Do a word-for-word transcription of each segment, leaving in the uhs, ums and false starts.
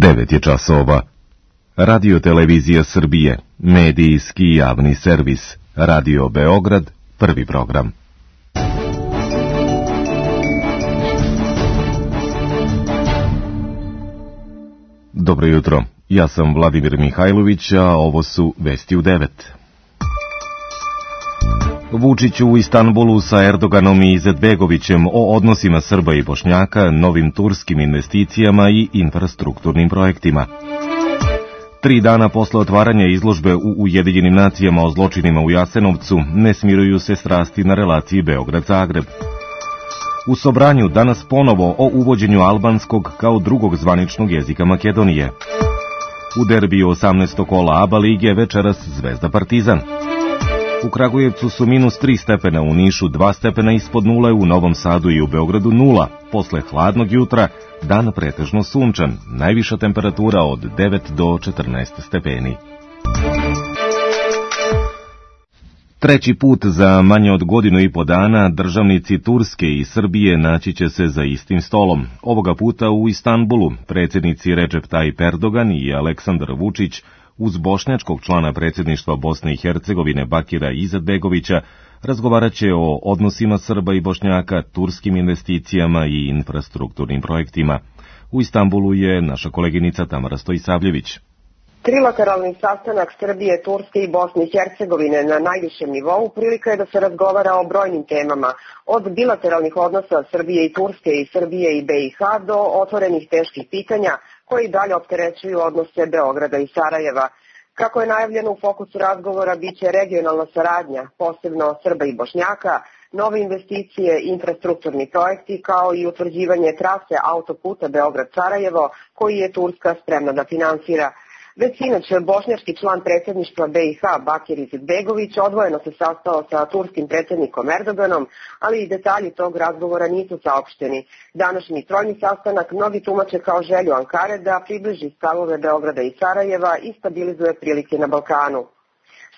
devet je časova. Radio Televizija Srbije, medijski javni servis. Radio Beograd, prvi program. Dobro jutro, ja sam Vladimir Mihajlović, a ovo su Vesti u devet. Vučić u Istanbulu sa Erdoganom i Izetbegovićem o odnosima Srba i Bošnjaka, novim turskim investicijama i infrastrukturnim projektima. Tri dana posle otvaranja izložbe u Ujedinjenim nacijama o zločinima u Jasenovcu ne smiruju se strasti na relaciji Beograd-Zagreb. U Sobranju danas ponovo o uvođenju albanskog kao drugog zvaničnog jezika Makedonije. U derbiju osamnaestog kola ABA lige večeras Zvezda Partizan. U Kragujevcu su minus tri stepena, u Nišu dva stepena ispod nule, u Novom Sadu i u Beogradu nula. Posle hladnog jutra dan pretežno sunčan, najviša temperatura od devet do četrnaest stepeni. Treći put za manje od godinu i po dana državnici Turske i Srbije naći će se za istim stolom. Ovoga puta u Istanbulu predsjednici Recep Tayyip Erdogan i Aleksandar Vučić uz bošnjačkog člana predsjedništva Bosne i Hercegovine Bakira Izetbegovića razgovarat će o odnosima Srba i Bošnjaka, turskim investicijama i infrastrukturnim projektima. U Istanbulu je naša koleginica Tamara Stojisavljević. Trilateralni sastanak Srbije, Turske i Bosne i Hercegovine na najvišem nivou prilika je da se razgovara o brojnim temama, od bilateralnih odnosa Srbije i Turske i Srbije i B i H do otvorenih teških pitanja koji dalje opterećuju odnose Beograda i Sarajeva. Kako je najavljeno, u fokusu razgovora biće regionalna saradnja, posebno Srba i Bošnjaka, nove investicije, infrastrukturni projekti, kao i utvrđivanje trase autoputa Beograd-Sarajevo koji je Turska spremna da finansira. Već sinoć bošnjački član predsjedništva B i H Bakir Izetbegović odvojeno se sastao sa turskim predsjednikom Erdoganom, ali i detalji tog razgovora nisu saopšteni. Današnji trojni sastanak mnogi tumače kao želju Ankare da približi stavove Beograda i Sarajeva i stabilizuje prilike na Balkanu.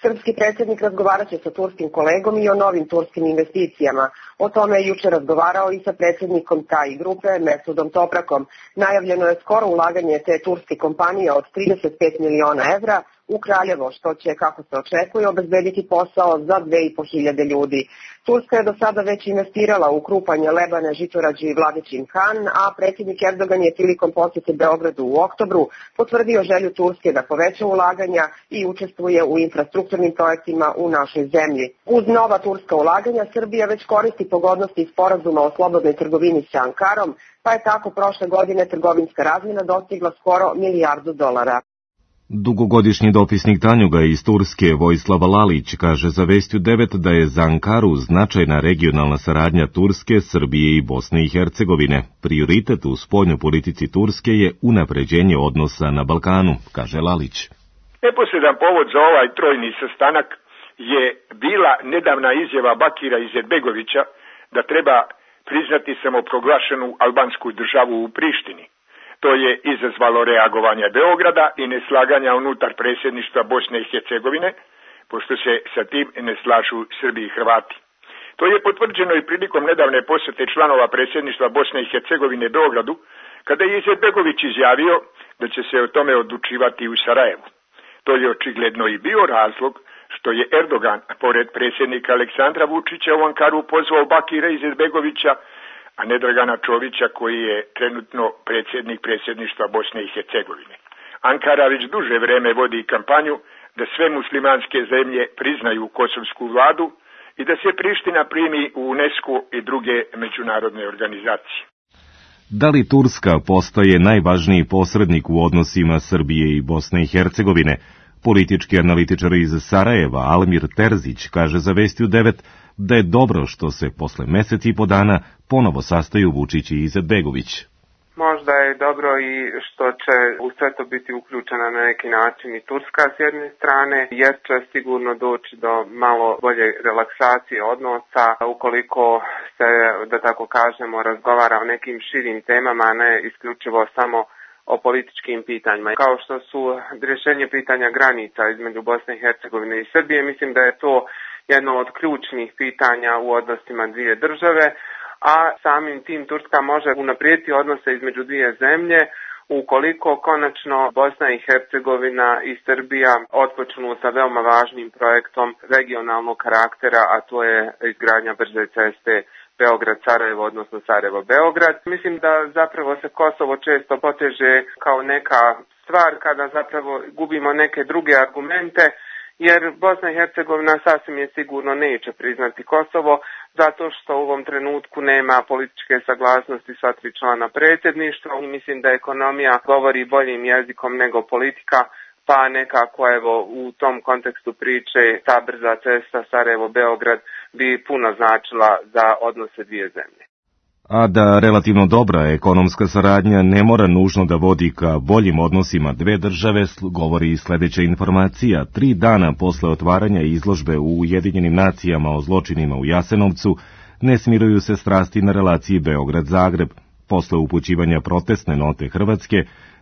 Srpski predsjednik razgovarat će sa turskim kolegom i o novim turskim investicijama. O tome je juče razgovarao i sa predsjednikom taj grupe Mesudom Toprakom. Najavljeno je skoro ulaganje te turske kompanije od trideset pet miliona evra u Kraljevo, što će, kako se očekuje, obezbediti posao za dve i po hiljade ljudi. Turska je do sada već investirala u Krupanje, Lebane, Žitorađe i Vladičin Han, a predsjednik Erdogan je prilikom posjete Beogradu u oktobru potvrdio želju Turske da poveća ulaganja i učestvuje u infrastrukturnim projektima u našoj zemlji. Uz nova turska ulaganja, Srbija već koristi pogodnosti sporazuma o slobodnoj trgovini sa Ankarom, pa je tako prošle godine trgovinska razmjena dostigla skoro milijardu dolara. Dugogodišnji dopisnik Tanjuga iz Turske Vojislava Lalić kaže za Vesti u devet da je za Ankaru značajna regionalna saradnja Turske, Srbije i Bosne i Hercegovine. Prioritet u spoljnoj politici Turske je unapređenje odnosa na Balkanu, kaže Lalić. Neposredan povod za ovaj trojni sastanak je bila nedavna izjava Bakira Izetbegovića da treba priznati samoproglašenu albansku državu u Prištini. To je izazvalo reagovanje Beograda i neslaganja unutar predsjedništva Bosne i Hercegovine, pošto se sa tim ne slažu Srbi i Hrvati. To je potvrđeno i prilikom nedavne posjete članova predsjedništva Bosne i Hercegovine Beogradu, kada je Izetbegović izjavio da će se o tome odlučivati u Sarajevu. To je očigledno i bio razlog što je Erdogan, pored predsjednika Aleksandra Vučića, u Ankaru pozvao Bakira Izetbegovića, a ne Dragana Čovića koji je trenutno predsjednik predsjedništva Bosne i Hercegovine. Ankara već duže vreme vodi kampanju da sve muslimanske zemlje priznaju kosovsku vladu i da se Priština primi u UNESCO i druge međunarodne organizacije. Da li Turska postaje najvažniji posrednik u odnosima Srbije i Bosne i Hercegovine? Politički analitičar iz Sarajeva Almir Terzić kaže za Vesti u devet da je dobro što se posle mesec i po dana ponovo sastaju Vučić i Izetbegović. Možda je dobro i što će u sve to biti uključena na neki način i Turska s jedne strane, jer će sigurno doći do malo bolje relaksacije odnosa ukoliko se, da tako kažemo, razgovara o nekim širim temama, a ne isključivo samo o političkim pitanjima. Kao što su rješenje pitanja granica između Bosne i Hercegovine i Srbije, mislim da je to jedno od ključnih pitanja u odnosima dvije države, a samim tim Turska može unaprijediti odnose između dvije zemlje Ukoliko konačno Bosna i Hercegovina i Srbija otpočnu sa veoma važnim projektom regionalnog karaktera, a to je izgradnja brze ceste Beograd-Sarajevo, odnosno Sarajevo-Beograd. Mislim da zapravo se Kosovo često poteže kao neka stvar kada zapravo gubimo neke druge argumente, jer Bosna i Hercegovina sasvim je sigurno neće priznati Kosovo, zato što u ovom trenutku nema političke saglasnosti sva tri člana predsjedništva i mislim da ekonomija govori boljim jezikom nego politika, pa nekako evo u tom kontekstu priče ta brza cesta Sarajevo-Beograd bi puno značila za odnose dvije zemlje. A da relativno dobra ekonomska saradnja ne mora nužno da vodi ka boljim odnosima dve države, govori i sljedeća informacija. Tri dana posle otvaranja izložbe u Ujedinjenim nacijama o zločinima u Jasenovcu, ne smiruju se strasti na relaciji Beograd-Zagreb. Posle upućivanja protestne note Hrvatske,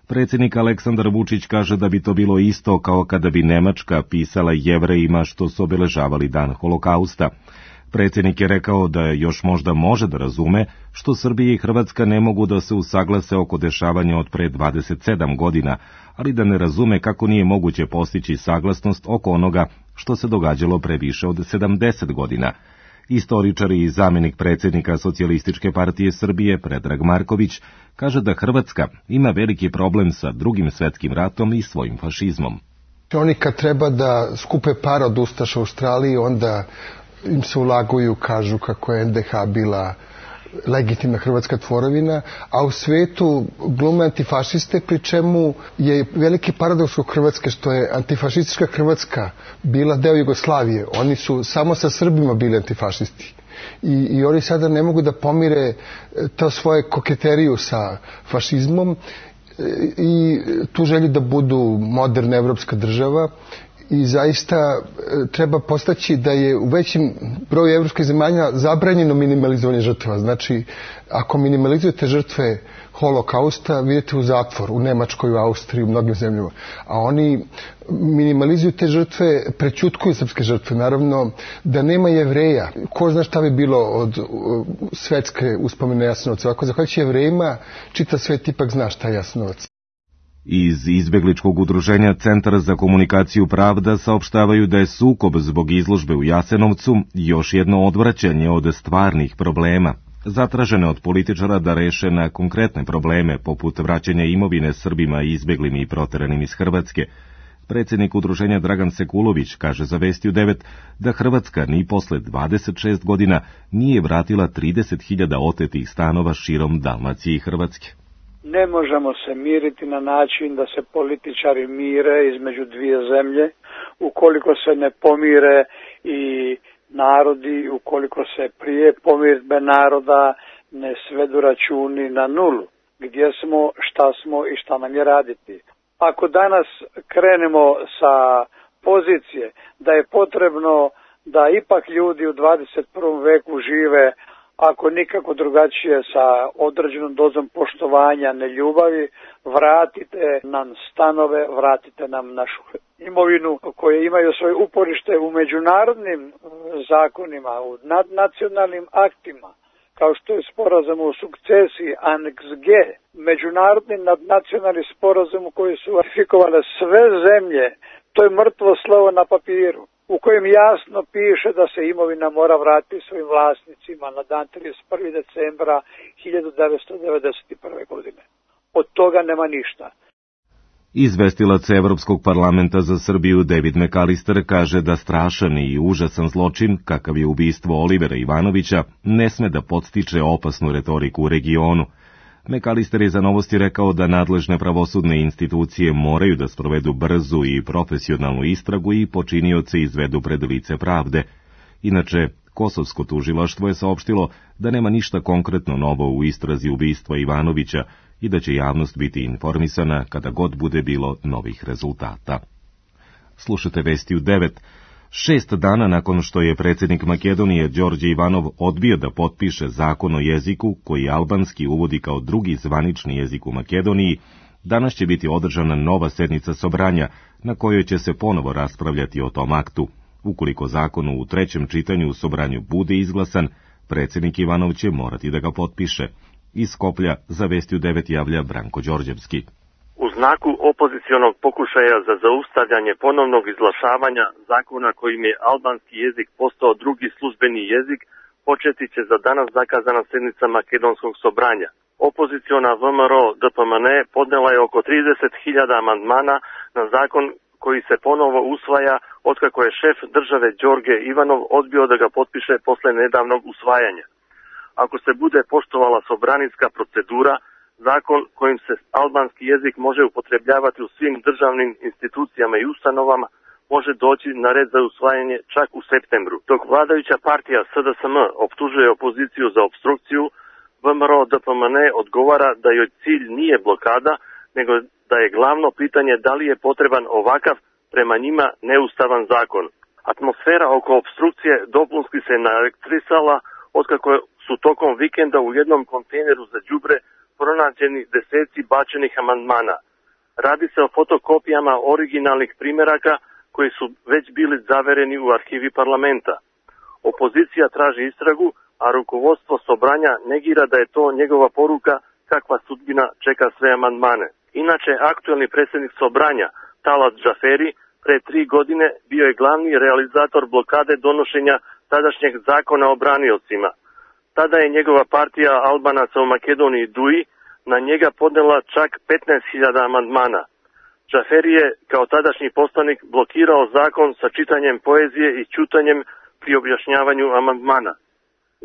predsjednik Aleksandar Vučić kaže da bi to bilo isto kao kada bi Nemačka pisala Jevrejima što su obeležavali dan Holokausta. Predsjednik je rekao da još možda može da razume što Srbija i Hrvatska ne mogu da se usaglase oko dešavanja od pre dvadeset sedam godina, ali da ne razume kako nije moguće postići saglasnost oko onoga što se događalo pre više od sedamdeset godina. Istoričar i zamjenik predsjednika Socijalističke partije Srbije Predrag Marković kaže da Hrvatska ima veliki problem sa Drugim svetskim ratom i svojim fašizmom. Oni kad treba da skupe par od ustaša u Australiji, onda im se ulaguju, kažu kako je en de ha bila legitimna hrvatska tvorovina, a u svetu glume antifašiste, pri čemu je veliki paradoks u Hrvatske što je antifašistička Hrvatska bila deo Jugoslavije. Oni su samo sa Srbima bili antifašisti. I, i oni sada ne mogu da pomire to svoje koketeriju sa fašizmom i tu želju da budu moderna evropska država. I zaista treba postaći da je u većim broju evropskih zemalja zabranjeno minimalizovanje žrtva. Znači, ako minimalizujete žrtve Holokausta, vidite u zatvor, u Nemačkoj, u Austriji, u mnogim zemljama. A oni minimalizuju te žrtve, prećutkuju srpske žrtve. Naravno, da nema Jevreja. Ko zna šta bi bilo od svetske uspomene Jasenovca. Ako zahvaljujući Jevrejima, čitav svet ipak zna šta je Jasenovac. Iz izbegličkog udruženja Centar za komunikaciju Pravda saopštavaju da je sukob zbog izložbe u Jasenovcu još jedno odvraćanje od stvarnih problema, zatražene od političara da reše na konkretne probleme poput vraćanja imovine Srbima izbeglim i proteranim iz Hrvatske. Predsjednik udruženja Dragan Sekulović kaže za Vesti u devet da Hrvatska ni posle dvadeset šest godina nije vratila trideset hiljada otetih stanova širom Dalmacije i Hrvatske. Ne možemo se miriti na način da se političari mire između dvije zemlje, ukoliko se ne pomire i narodi, ukoliko se prije pomirbe naroda ne svedu računi na nulu. Gdje smo, šta smo i šta nam je raditi. Ako danas krenemo sa pozicije da je potrebno da ipak ljudi u dvadeset prvom veku žive ako nikako drugačije sa određenom dozom poštovanja, neljubavi, vratite nam stanove, vratite nam našu imovinu koje imaju svoje uporište u međunarodnim zakonima, u nadnacionalnim aktima, kao što je sporazum o sukcesiji Aneks G, međunarodni nadnacionalni sporazum koji su ratifikovale sve zemlje. To je mrtvo slovo na papiru, u kojem jasno piše da se imovina mora vratiti svojim vlasnicima na dan trideset prvog decembra hiljadu devetsto devedeset prve. godine. Od toga nema ništa. Izvestilac Evropskog parlamenta za Srbiju David McAllister kaže da strašan i užasan zločin, kakav je ubistvo Olivera Ivanovića, ne sme da podstiče opasnu retoriku u regionu. McAllister je za Novosti rekao da nadležne pravosudne institucije moraju da sprovedu brzu i profesionalnu istragu i počinioce izvedu pred lice pravde. Inače, Kosovsko tužilaštvo je saopštilo da nema ništa konkretno novo u istrazi ubistva Ivanovića i da će javnost biti informisana kada god bude bilo novih rezultata. Slušate Vesti u devet. Šest dana nakon što je predsjednik Makedonije Đorđe Ivanov odbio da potpiše zakon o jeziku koji albanski uvodi kao drugi zvanični jezik u Makedoniji, danas će biti održana nova sednica Sobranja na kojoj će se ponovo raspravljati o tom aktu. Ukoliko zakon u trećem čitanju u Sobranju bude izglasan, predsjednik Ivanov će morati da ga potpiše. Iz Skoplja za Vesti u devet javlja Branko Đorđevski. U znaku opozicionog pokušaja za zaustavljanje ponovnog izglašavanja zakona kojim je albanski jezik postao drugi službeni jezik, početi će za danas zakazana sednica Makedonskog sobranja. Opoziciona V M R O D P M N podnela je oko trideset hiljada amandmana na zakon koji se ponovo usvaja otkako je šef države Đorđe Ivanov odbio da ga potpiše posle nedavnog usvajanja. Ako se bude poštovala sobranijska procedura, zakon kojim se albanski jezik može upotrebljavati u svim državnim institucijama i ustanovama može doći na red za usvajanje čak u septembru. Dok vladajuća partija S D S M optužuje opoziciju za obstrukciju, V M R O D P M N odgovara da joj cilj nije blokada, nego da je glavno pitanje da li je potreban ovakav, prema njima neustavan zakon. Atmosfera oko obstrukcije dopunski se naelektrisala otkako su tokom vikenda u jednom kontejneru za đubre pronađeni deseci bačenih amandmana. Radi se o fotokopijama originalnih primjeraka koji su već bili zavereni u arhivi parlamenta. Opozicija traži istragu, a rukovodstvo sobranja negira da je to njegova poruka kakva sudbina čeka sve amandmane. Inače, aktuelni predsjednik sobranja, Talat Džaferi, pre tri godine bio je glavni realizator blokade donošenja tadašnjeg zakona o braniocima. Tada je njegova partija Albanaca u Makedoniji D U I na njega podnela čak petnaest hiljada amandmana. Džaferi je kao tadašnji poslanik blokirao zakon sa čitanjem poezije i ćutanjem pri objašnjavanju amandmana.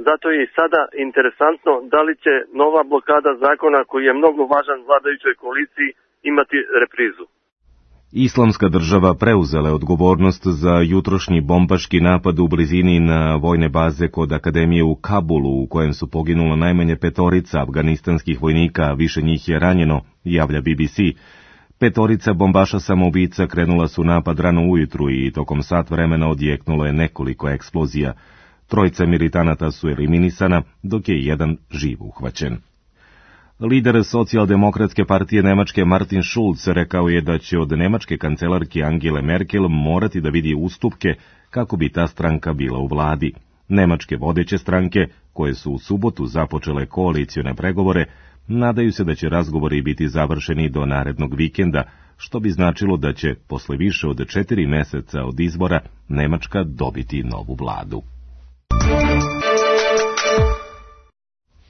Zato je i sada interesantno da li će nova blokada zakona koji je mnogo važan vladajućoj koaliciji imati reprizu. Islamska država preuzela je odgovornost za jutrošnji bombaški napad u blizini na vojne baze kod Akademije u Kabulu, u kojem su poginulo najmanje petorica afganistanskih vojnika, a više njih je ranjeno, javlja B B C. Petorica bombaša samoubica krenula su napad rano ujutru i tokom sat vremena odjeknulo je nekoliko eksplozija. Trojica militanata su eliminisana, dok je jedan živ uhvaćen. Lider socijaldemokratske partije Nemačke Martin Schulz rekao je da će od nemačke kancelarke Angele Merkel morati da vidi ustupke kako bi ta stranka bila u vladi. Nemačke vodeće stranke, koje su u subotu započele koalicione pregovore, nadaju se da će razgovori biti završeni do narednog vikenda, što bi značilo da će, posle više od četiri meseca od izbora, Nemačka dobiti novu vladu.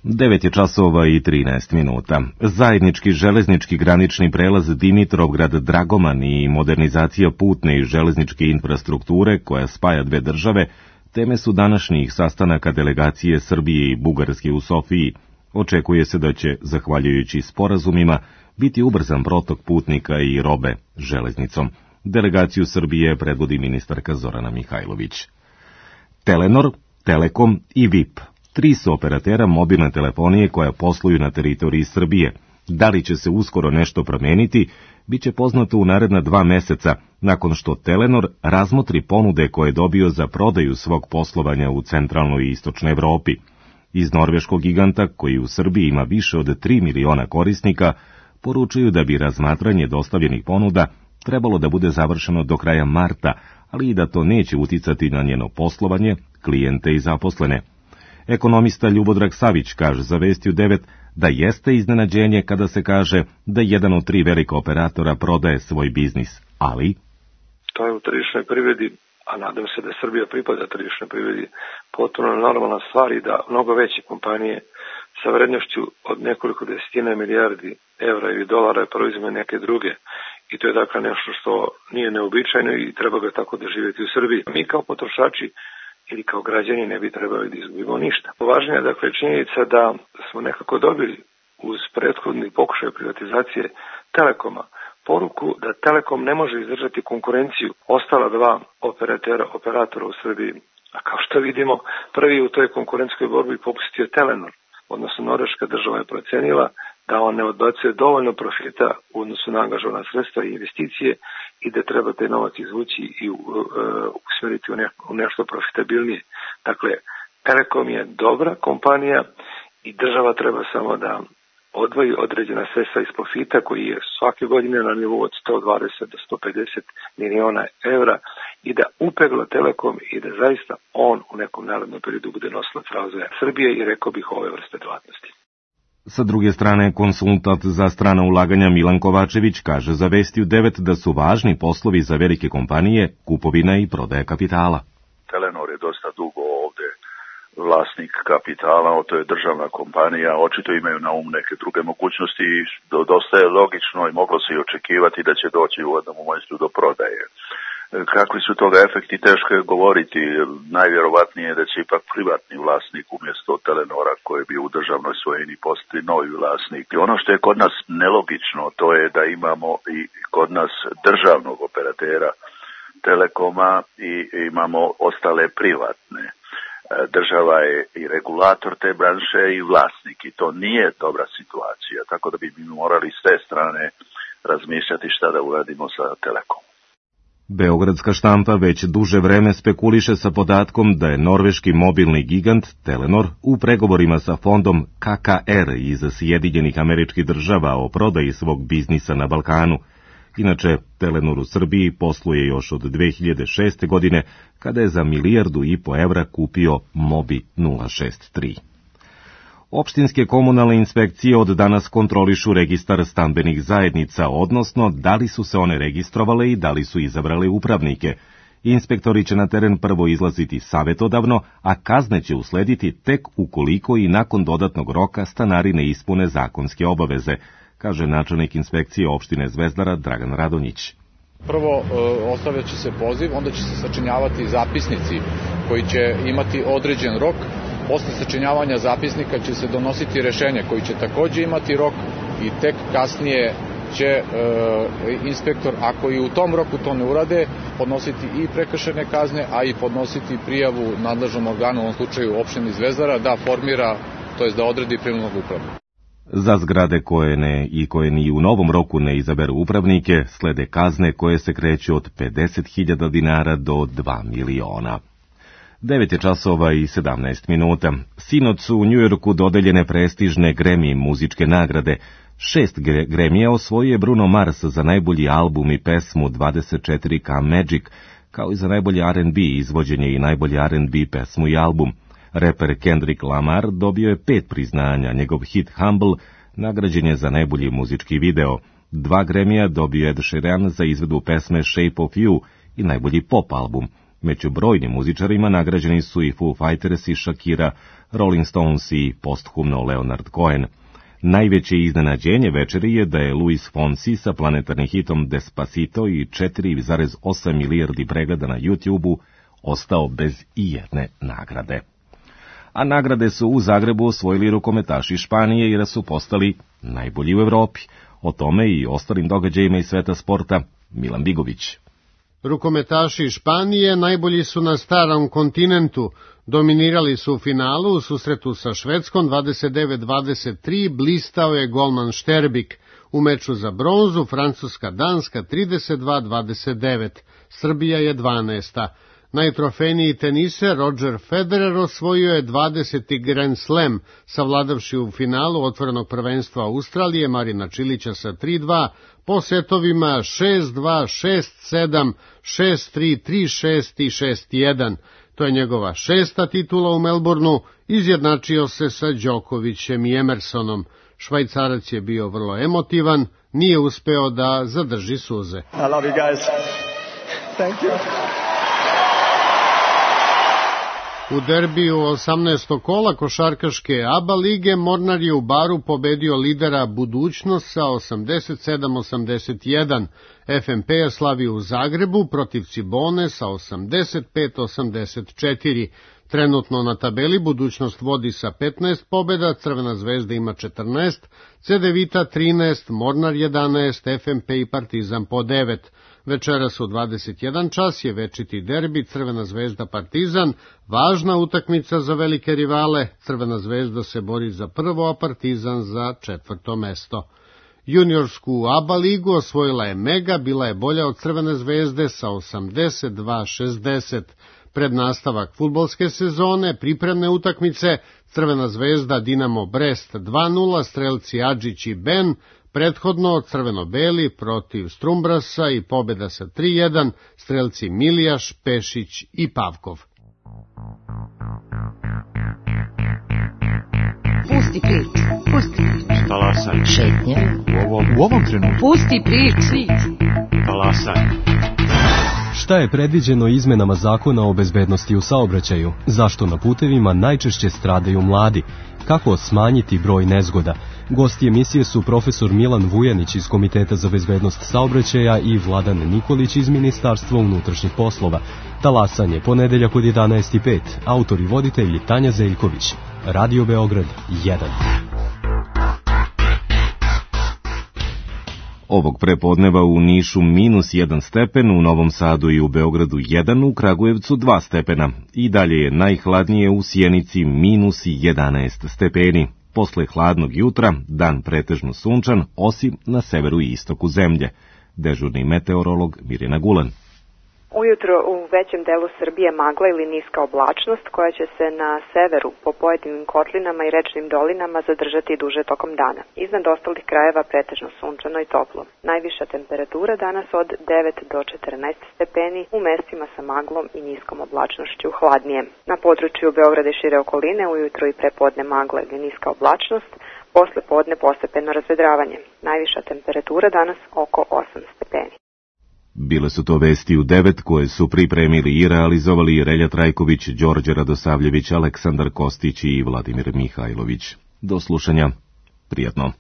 devet je časova i trinaest minuta. Zajednički železnički granični prelaz Dimitrovgrad-Dragoman i modernizacija putne i železničke infrastrukture koja spaja dve države teme su današnjih sastanaka delegacije Srbije i Bugarske u Sofiji. Očekuje se da će, zahvaljujući sporazumima, biti ubrzan protok putnika i robe železnicom. Delegaciju Srbije predvodi ministarka Zorana Mihajlović. Telenor, Telekom i V I P. Tri su operatera mobilne telefonije koja posluju na teritoriji Srbije. Da li će se uskoro nešto promeniti, bit će poznato u naredna dva meseca, nakon što Telenor razmotri ponude koje je dobio za prodaju svog poslovanja u centralnoj i istočnoj Evropi. Iz norveškog giganta, koji u Srbiji ima više od tri miliona korisnika, poručuju da bi razmatranje dostavljenih ponuda trebalo da bude završeno do kraja marta, ali i da to neće uticati na njeno poslovanje, klijente i zaposlene. Ekonomista Ljubodrag Savić kaže za Vesti u devet da jeste iznenađenje kada se kaže da jedan od tri velika operatora prodaje svoj biznis, ali... To je u tržišnoj privredi, a nadam se da Srbija pripada tržišnoj privredi, potpuno normalna stvar i da mnogo veće kompanije sa vrednošću od nekoliko desetina milijardi evra ili dolara proizvode neke druge. I to je dakle nešto što nije neobičajno i treba ga tako doživjeti u Srbiji. Mi kao potrošači ili kao građani ne bi trebali da izgubimo ništa. Važnija je dakle činjenica da smo nekako dobili uz prethodni pokušaj privatizacije Telekoma poruku da Telekom ne može izdržati konkurenciju ostala dva operatera, operatora u Srbiji. A kao što vidimo, prvi u toj konkurentskoj borbi popustio Telenor, odnosno norveška država je procenila da on ne odbacuje dovoljno profita u odnosu na angažovana sredstva i investicije i da treba taj novac izvući i uh, usmeriti u, ne, u nešto profitabilnije. Dakle, Telekom je dobra kompanija i država treba samo da odvoji određena sredstva iz profita koji je svake godine na nivou od sto dvadeset do sto pedeset miliona evra i da upegla Telekom i da zaista on u nekom narednom periodu bude nosilac razvoja Srbije i rekao bih ove vrste djelatnosti. Sa druge strane, konsultant za strana ulaganja Milan Kovačević kaže za Vesti u devet da su važni poslovi za velike kompanije, kupovina i prodaja kapitala. Telenor je dosta dugo ovde vlasnik kapitala, to je državna kompanija, očito imaju na um neke druge mogućnosti i dosta je logično i moglo se i očekivati da će doći u jednom momentu do prodaje. Kakvi su toga efekti, teško je govoriti. Najvjerovatnije je da će ipak privatni vlasnik umjesto Telenora koji je bio u državnoj svojini postati novi vlasnik. I ono što je kod nas nelogično, to je da imamo i kod nas državnog operatera Telekoma i imamo ostale privatne. Država je i regulator te branše i vlasnik i to nije dobra situacija, tako da bi mi morali s te strane razmišljati šta da uradimo sa Telekomom. Beogradska štampa već duže vreme spekuliše sa podatkom da je norveški mobilni gigant Telenor u pregovorima sa fondom K K R iz Sjedinjenih Američkih Država o prodaji svog biznisa na Balkanu. Inače, Telenor u Srbiji posluje još od dve hiljade šeste. godine, kada je za milijardu i po evra kupio Mobi nula šest tri. Opštinske komunalne inspekcije od danas kontrolišu registar stambenih zajednica, odnosno da li su se one registrovale i da li su izabrale upravnike. Inspektori će na teren prvo izlaziti savjetodavno, a kazne će uslediti tek ukoliko i nakon dodatnog roka stanari ne ispune zakonske obaveze, kaže načelnik inspekcije opštine Zvezdara Dragan Radonjić. Prvo ostavljat će se poziv, onda će se sačinjavati zapisnici koji će imati određen rok. Posle sačinjavanja zapisnika će se donositi rešenje koji će takođe imati rok i tek kasnije će e, inspektor, ako i u tom roku to ne urade, podnositi i prekršajne kazne, a i podnositi prijavu nadležnom organu, u ovom slučaju opštini Zvezdara, da formira, to jest da odredi prinudnog upravnika. Za zgrade koje ne i koje ni u novom roku ne izaberu upravnike, slede kazne koje se kreću od pedeset hiljada dinara do dva miliona. devet je časova i sedamnaest minuta. Sinoć su u Njujorku dodeljene prestižne Grammy muzičke nagrade. Šest Grammyja osvojio je Bruno Mars za najbolji album i pesmu dvadeset četiri K Magic, kao i za najbolji R and B izvođenje i najbolji R and B pesmu i album. Reper Kendrick Lamar dobio je pet priznanja, njegov hit Humble nagrađen je za najbolji muzički video. Dva Grammyja dobio je Ed Sheeran za izvedu pesme Shape of You i najbolji pop album. Među brojnim muzičarima nagrađeni su i Foo Fighters i Shakira, Rolling Stones i posthumno Leonard Cohen. Najveće iznenađenje večeri je da je Luis Fonsi sa planetarnim hitom Despacito i četiri zarez osam milijardi pregleda na YouTubeu ostao bez ijedne nagrade. A nagrade su u Zagrebu osvojili rukometaši Španije jer su postali najbolji u Evropi. O tome i ostalim događajima iz sveta sporta Milan Bigović. Rukometaši Španije najbolji su na starom kontinentu. Dominirali su u finalu u susretu sa Švedskom dvadeset devet dvadeset tri, blistao je golman Šterbik. U meču za bronzu Francuska-Danska trideset dva dvadeset devet, Srbija je dvanaesta. Najtrofejniji teniser Roger Federer osvojio je dvadeseti Grand Slam, savladavši u finalu otvorenog prvenstva Australije Marina Čilića sa tri dva, po setovima šest dva, šest sedam, šest tri, tri šest i šest jedan. To je njegova šesta titula u Melbourneu, izjednačio se sa Đokovićem i Emersonom. Švajcarac je bio vrlo emotivan, nije uspeo da zadrži suze. I love you guys. Thank you. U derbiju osamnaestog kola košarkaške A B A lige Mornar je u Baru pobedio lidera Budućnost sa osamdeset sedam osamdeset jedan. F M P je slavio u Zagrebu protiv Cibone sa osamdeset pet osamdeset četiri. Trenutno na tabeli Budućnost vodi sa petnaest pobjeda, Crvena zvezda ima četrnaest, C D Vita trinaest, Mornar jedanaest, F M P i Partizan po devet. Večeras u dvadeset jedan čas je večiti derbi Crvena zvezda Partizan, važna utakmica za velike rivale. Crvena zvezda se bori za prvo, a Partizan za četvrto mesto. Juniorsku A B A ligu osvojila je Mega, bila je bolja od Crvene zvezde sa osamdeset dva šezdeset. Pred nastavak fudbalske sezone, pripremne utakmice, Crvena zvezda Dinamo Brest dva nula, strelci Adžić i Ben, prethodno crveno-beli protiv Strumbrasa i pobjeda sa tri jedan, strelci Milijaš, Pešić i Pavkov. Pusti priču. Pusti priču. Talasaj. Šetnja. U ovom, u ovom trenutku. Pusti priču. Talasaj. Šta je predviđeno izmenama zakona o bezbednosti u saobraćaju? Zašto na putevima najčešće stradaju mladi? Kako smanjiti broj nezgoda? Gosti emisije su profesor Milan Vujanić iz Komiteta za bezbednost saobraćaja i Vladan Nikolić iz Ministarstva unutrašnjih poslova. Talasanje, ponedeljak od jedanaest i pet. Autor i voditelj Tanja Zeljković. Radio Beograd jedan. Ovog prepodneva u Nišu minus jedan stepen, u Novom Sadu i u Beogradu jedan, u Kragujevcu dva stepena. I dalje je najhladnije u Sjenici minus jedanaest stepeni. Posle hladnog jutra, dan pretežno sunčan, osim na severu i istoku zemlje. Dežurni meteorolog Mirjana Gulan. Ujutro u većem delu Srbije magla ili niska oblačnost koja će se na severu po pojedinim kotlinama i rečnim dolinama zadržati duže tokom dana. Iznad ostalih krajeva pretežno sunčano i toplo. Najviša temperatura danas od devet do četrnaest stepeni, u mestima sa maglom i niskom oblačnošću hladnije. Na području Beograda i šire okoline ujutro i prepodne magla ili niska oblačnost, posle podne postepeno razvedravanje. Najviša temperatura danas oko osam stepeni. Bile su to vesti u devet koje su pripremili i realizovali Relja Trajković, Đorđe Radosavljević, Aleksandar Kostić i Vladimir Mihajlović. Do slušanja. Prijatno.